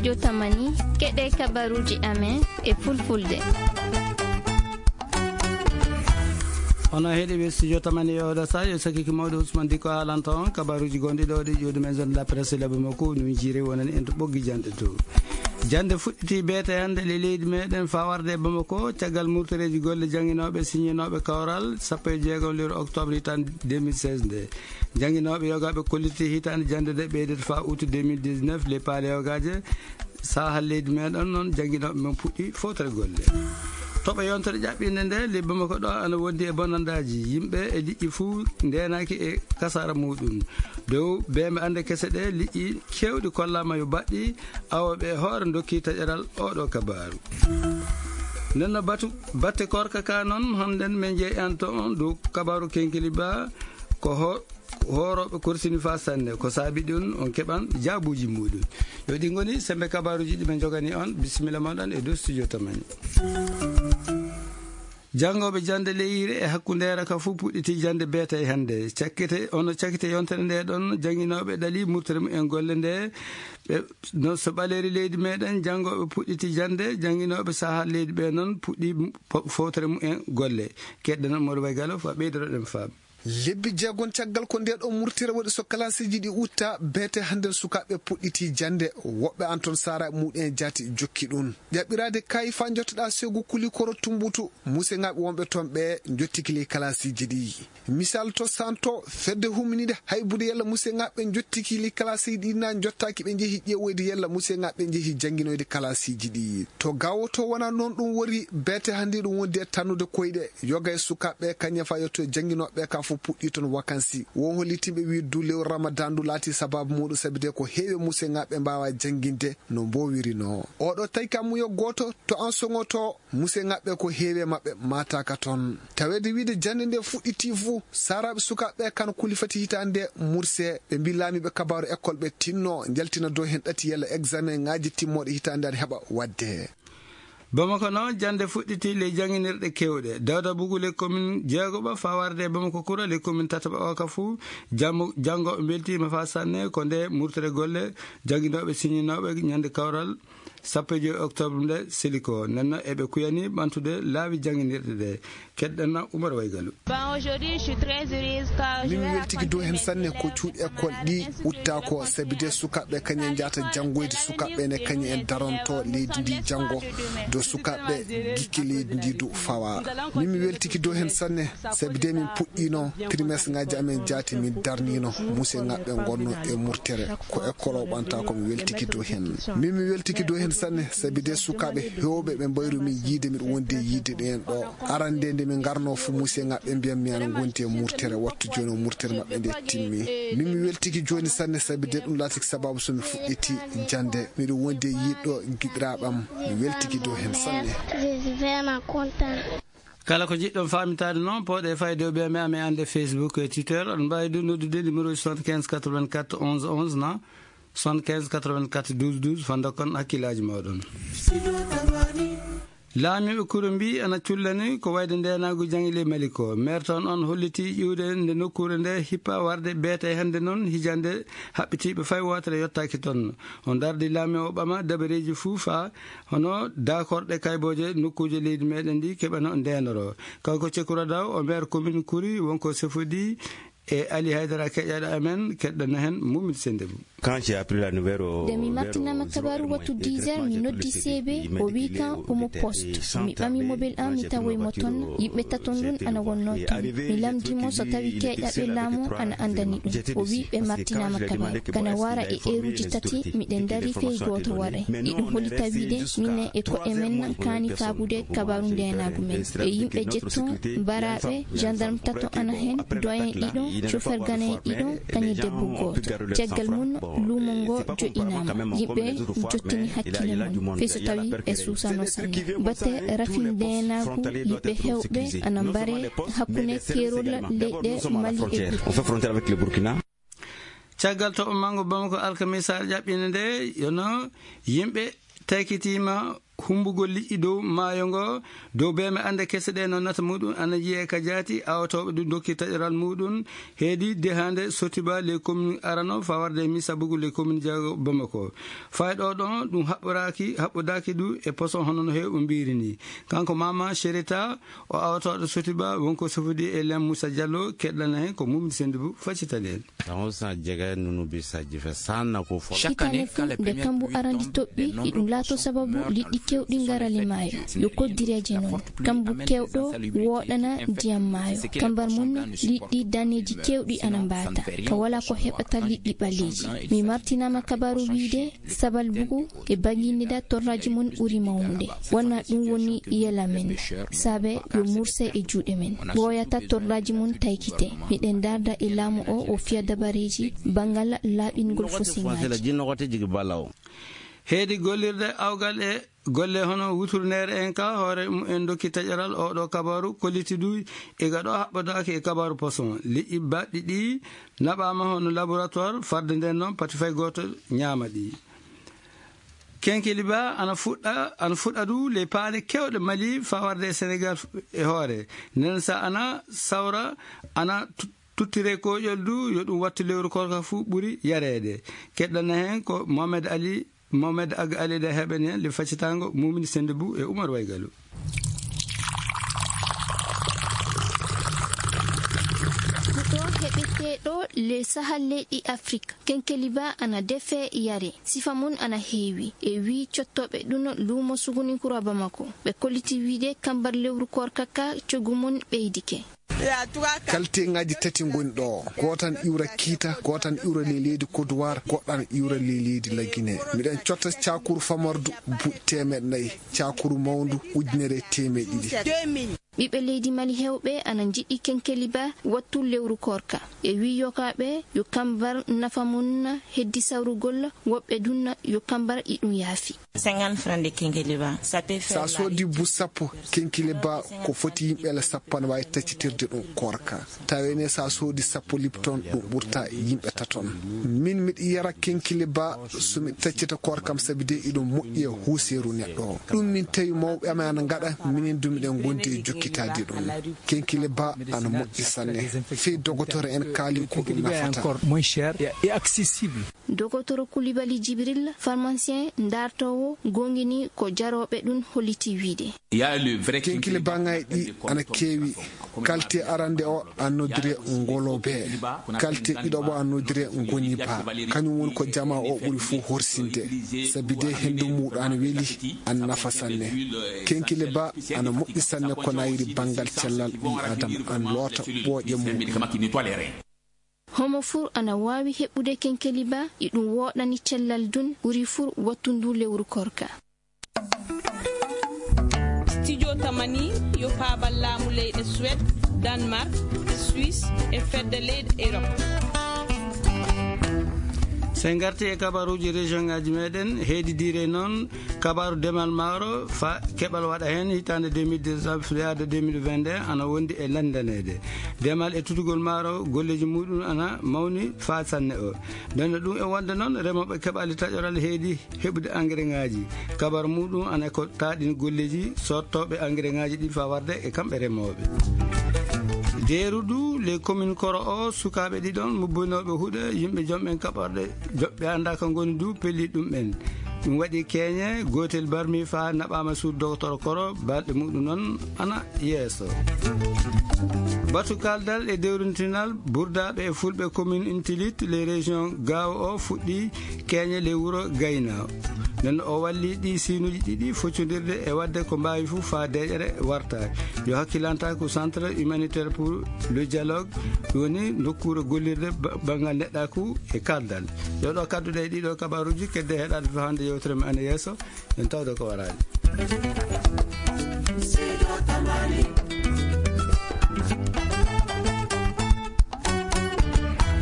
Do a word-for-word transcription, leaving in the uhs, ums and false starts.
Yo tamani, keɗe kabaruji amen e fulfulde. Ono heɗi ɓe studio tamani e oɗo sa, yo sakiki mawɗo Ousmane Diko haalanta on kabaruji gonɗi ɗo ɗi ƴuuɗi men zone de la presse laabi makko, no jiri wonani en to ɓoggi jande to. Jande fuɗɗiti beete hannde le leydi meɗen fa warde e Bamako, caggal murtoreeji golle jannginoɓe siññinoɓe kawral sappo e jeegom lewru octobre hitande deux mille seize nde. Jannginoɓe yogaɓe kolliti hitande jande de ɓeydata fa août deux mille dix-neuf le paale yogaje. Sahal leydi meɗen noon jannginoɓe men puɗɗi fowtere golle. Toɓo yontere ƴaɓɓinde nde le Bamako ɗo ana wondi e bonandaji yimɓe e liƴƴi fuu ndenaki e kasara muɗum. Dow bembe ande kese ɗe liƴƴi kewɗi kollama yo baɗɗi awoɓe e hoore dokki taƴeral oɗo kabaru. Nenno batu batte korka ka noon, hannden min jeeyanto on dow kabaru kenkili ba ko ho-, hooroɓe korsini fa sanne. Ko saabi ɗum on keɓan jaabuji muɗum. Yo ɗi ngoni sembe kabaruji ɗi min jogani on. Bisimilla moɗon e dow studio tamani. Janngoɓe jande leyire e hakkundeere ka fuu puɗɗiti jande beetay hannde. Cakkite, ono cakkite yontere nde ɗon, jannginoɓe ɗali murtere mumen golle nde. Ɓe, no so ɓaleri leydi meɗen, janngoɓe puɗɗiti jande, jannginoɓe saha leydi ɓe noon puɗɗi po-, fowtere mumen golle. Keɗɗen Mody Bay Gallo, fa ɓeydoroɗen faaɓe. Lebbi jeegom caggal ko nde ɗo murtere waɗi so kalaasiji ɗi utta, beete hannden sukaaɓe puɗɗiti jannde. Woɓɓe an toon saaraaɓe muɗum en jaati jokki ɗum. Ƴaɓɓiraade kaayi faa njottoɗaa seegu Kulikoro Tumbutu, museŋaaɓe wonɓe toon ɓe njottiki ley kalaasiji ɗi. Misal to Santo, fedde huminiiɗe haybude yalla museŋaaɓe njottiki ley kalaasiji ɗi naa njottaaki ɓe njehi ƴeewoyde yalla museŋaaɓe njehi jannginoyde kalaasiji ɗi. To Gaawo to wonaa noon ɗum woni, beete hannde ɗum wondi e tannude koyɗe. Yoga e sukaaɓe kañum e fa yetto e jannginooɓe ka fof puɗɗii toon wakansi. Won hollitinɓe wiide du lewru Ramadan ndu laati sabaabu muuɗum sabi de ko heewi e museŋaaɓe mbaawaa jannginde no mboowiri noo. Oɗo tawi ka muyo gooto to an soŋoto, museŋaaɓe ko heewi e maɓɓe maataaka toon. Taweede wiide jannde nde fuɗɗitii fuu, saaraaɓe sukaaɓe kan kuli fati hitaande murse. Ɓe mbii laamiiɓe kabaaru école ɓe tinno njaltina dow heen ɗati yalla examen ŋaaji timmooɗe hitaande an heɓa waɗde. Bamako noon, jannde fuɗɗiti ley jannginirɗe keewɗe. Dawda Bugu ley commune jeegoɓa faa warde e Bamako Kura ley commune tataɓa o ka fuu. Jammo-, janngooɓe mbeltiima faa sanne ko nde murtere golle jannginooɓe siñinooɓe ñande kawral sappo e joy octobre nde seli ko. Nenno eɓe kuyani ɓantude laawi jannginirɗe ɗe. Keɗɗen Umar Waygalu. Bon, aujourd'hui, je suis très heureuse car je Min mi vais weltiki dow heen sanne ko cuuɗi école ɗi utta ko, sabi de sukaaɓe kañum en njahata janngoyde, sukaaɓe ene kañum en daronto leydi ndi janngo, do sukaaɓe gikke leydi ndi du fawa. Min mi weltiki dow heen sanne, sabi de min puɗɗiino trimestre ŋaaji amen jaati, min darniino museŋaaɓe ngonno e murtere. Ko école o ɓanta ko mi weltiki dow heen. Min mi weltiki dow heen sanne, sabi de sukaaɓe heewɓe ɓe mbayru min yiide miɗo wondi e yiide ɗeen ɗo. Arande nde min ngarno fu museŋaaɓe mbiyan mi ana ngondi e murtere, wattu jooni o murtere maɓɓe nde timmi. Min mi weltiki jooni sanne, sabi de ɗum laatiki sababu so mi fuɗɗiti jannde. Miɗo wondi e yiɗɗo giɗiraaɓam, mi weltiki dow heen sanne. Je suis vraiment content. Kala ko jiɗɗon faamitaade noon, pooɗe fayde o ɓe mi amen annde Facebook e Twitter. On mbaawi du noddude numéro soixante-quinze quatre-vingt-quatre onze onze na soixante-quinze quatre-vingt-quatre douze douze, fanndokkon hakkillaaji mooɗon. Laamiiɓe kuro mbii ana cullani ko wayde ndeenaagu jaŋi ley Mali ko. Maire toon on hollitii ƴiwde nde nokkuure nde hippa warde beete hannde noon hijande haɓɓitiiɓe fay wootere yottaaki toon. O dardi laami o ɓama dabareeji fuu faa hono daakorɗe kaybooje nokkuuje leydi meɗen ndi keɓano ndeenoro. Kanko Cekura Daw, o maire commune Kuri, wonko sefodi e Ali Haydara keƴaɗo amen, keɗɗano heen Mumin Sendebou. Quand j'ai appris la nouvelle au, Nde mi martinama kabaru wattu dix heures, mi noddi C B, o wi kan omo poste. Mi ɓami mobile am, mi tawoy mo toon, yimɓe taton ɗum ana wonno toon. Mi lamndi mo so tawi keeƴaɓe laamu ana anndani ɗum. O wi ɓe martinama kabaru. Kana wara e eeruji tati, miɗen dari fey gooto waray. Iɗum holita wiide minen e ko'e men kaani faabude kabaru ndeenaagu men. E yimɓe jetton, mbaraaɓe, gendarme tato ana heen, doyen ɗiɗo, chauffeur ganayen ɗiɗo, kañum debbo gooto. Caggal mum, luumo ngo joɗɗinaama. Yimɓe jottini hakkille mum, fii so tawi ɓe suusano sanne. Batte rafi ndeenaagu, yimɓe heewɓe ana mbare hakkunde keerol leyɗe Mali e Burkina. On fait frontière avec le Burkina. Caggal toɓo manngo Bamako alkamisaare ƴaɓɓinde nde, yono yimɓe taykitiima Humbugol liƴƴi dow maayo ngo, dow beeme ande kese ɗe no nata muɗum ana yi'e ka jaati, awotooɓe ɗum dokki taƴoral muɗum, heedi dehande Sotiba les communes arano fa warde mi sabugu les communes jago Bamako. Fayɗo ɗon ɗum haɓɓoraaki, haɓɓodaaki ɗum e poson hono no heew o mbiri ni. Kanko Mama Sherita, o awotooɗo Sotiba, wonko sofodi e lem Moussa Diallo, keɗɗana hen ko Mumdi Sendibu, faccitani en. Tan o sa jega nunu bi sa jife sanna ko fo. Chaque année, quand les premières pluies tombent, de nombreux poissons meurent dans le fleuve. Hitaande fof, nde kambu arani toɓɓi, iɗum laato sababu liɗɗi keewɗi ngarali maayo. Yo koddireeje noon. Kambu keewɗo wooɗana ndiyam maayo. Kambar mum, liɗɗi daneeji keewɗi ana mbaata. Ka wala ko heɓata liɗɗi ɓaleeji. Mi martinaama kabaru wiide, sabal bugu e baŋŋinida torraaji mum ɓuri mawnude. Wona ɗum woni yela men. Saabe yo murse e juuɗe men. Ɓooyata torraaji mum taykite. Miɗen darda e laamu o, o fiya dabareeji banngal laaɓingol fosinŋaaji. Heedi gollirde awgal e golle hono wuturneere en ka hoore mum en dokki taƴaral oɗo kabaru kolliti du e gaɗo haɓɓodaaki e kabaru poson. Liƴƴi baɗɗi ɗi naɓaama hono laboratoire farde nden noon pati fay gooto ñaama ɗi. Kenkeliba ana fuɗɗa, ana fuɗɗa du ley paale kewɗe Mali fa warde e Senegal e hoore. Nden sa ana sawra, ana tu-, tuttire koƴol du, yo ɗum wattu lewru korka fu ɓuri yareede. Keɗɗana hen ko Mohamed Ali, Mohamed Ag Ali ɗe heɓen hen le faccitango Mumini Sendibu e Umar Waygalu. Ko ɗo heɓeteɗo le Sahal leyɗi Afrik. Kenkeliba ana defe yare, sifa mum ana heewi. E wii cottoɓe ɗum luumo Suguninkura Bamako. Ɓe kolliti wiide kambar lewru korka ka coggu mum ɓeydike. Kalteŋaaji tati ngoni ɗo. Gooto ana iwra Kiita, gooto ana iwra ley leydi Côte d'Ivoire, goɗɗo ana iwra ley leydi Lagine. Miɗen cotta cakuru famardu buuɗi teemeɗɗe nayi, cakuru mawndu ujunere e teemeɗɗe ɗiɗi. Ɓiɓɓe leydi Mali heewɓe ana njiɗi kenkeliba wattu lewru korka. E wii yokaaɓe yo kambar nafa mum heddi sawrugol, woɓɓe ɗum yo kambar iɗum yaafi. Cinquante francs de kenkeliba, ça peut faire. Sa soodi bu sappo kenkeliba, ko foti yimɓe la sappo ana waawi taccitirde ɗum korka. Tawi ne sa soodi sappo Lipton, ɗum ɓurta yimɓe taton. Min miɗo yara kenkeliba so mi taccita korkam, sabi de iɗum moƴƴi e huuseeru neɗɗo. Ɗum min tawi mawɓe amen ana ngaɗa, minen du miɗen gondi e jokkitaade ɗum. Kenkeliba ana moƴƴi sanne. Fii dogotoro en kaali ko ɗum nafata. Dogotoro Kulibali Jibril, pharmacien ndaartoowo, goongini ko jarooɓe ɗum holliti wiide. Kenkeliba ŋaaji ɗi ana keewi. Kalte arande o ana noddire ngolobe. Kalte ɗiɗoɓo ana noddire ngoniba. Kañum woni ko jamaa o ɓuri fuu horsinde. Sabi de henndu muuɗum ana weli, ana nafa sanne. Kenkeliba ana moƴƴi sanne ko nayri banngal cellal ɓii Aadama, ana loota ɓooƴe muuɗum. Homo fuu ana waawi heɓude kenkeliba, iɗum wooɗani cellal ɗum, ɓuri fuu wattu ndu lewru korka. Studio Tamani yo paabal laamu leyɗe Suède, Danemark, Suisse e fedde leyɗe Europe. So en ngarti e kabaruuji région ŋaaji meɗen, heedi diire noon, kabaru demal maaro fa keɓal waɗa heen hitaande deux mille dix-neuf yaade deux mille vingt-deux ana wondi e lanndaneede. Demal e tutugol maaro golleeji muuɗum ana mawni fa sanne o. Nden no ɗum e wonde noon, remooɓe keɓaali taƴoral heedi heɓude engrais ŋaaji. Kabar muuɗum ana ko taaɗin golleeji sottooɓe engrais ŋaaji ɗi fa warde e kamɓe remooɓe. Deeru du, les communes koro o, sukaaɓe ɗiɗon mubbinooɓe huɗe, yimɓe jom en kaɓorɗe, joɓɓe annda ka ngoni du, pelli ɗum en. Ɗum waɗi keeñe, gootel barmi fa naɓaama suudu dogotoro koro, balɗe muɗum noon ana yeeso. Batu kaldal e dewrintinal burdaaɓe e fulɓe commune Intilit, les régions Gaawo o fuɗɗi keeñe le wuro Gayna. Nden o walli ɗi siinuuji ɗiɗi foccondirde e waɗde ko mbaawi fof faa deeƴere warta. Yo hakkilanta ko centre humanitaire pour le dialogue, ɗum woni nokkuure gollirde ba-, banngal neɗɗaaku e kaldal. Yo ɗo kadduɗe e ɗiɗo kabaruuji, kedde heɗaade to hannde yewtere men ana yeeso, en tawde ko waraade.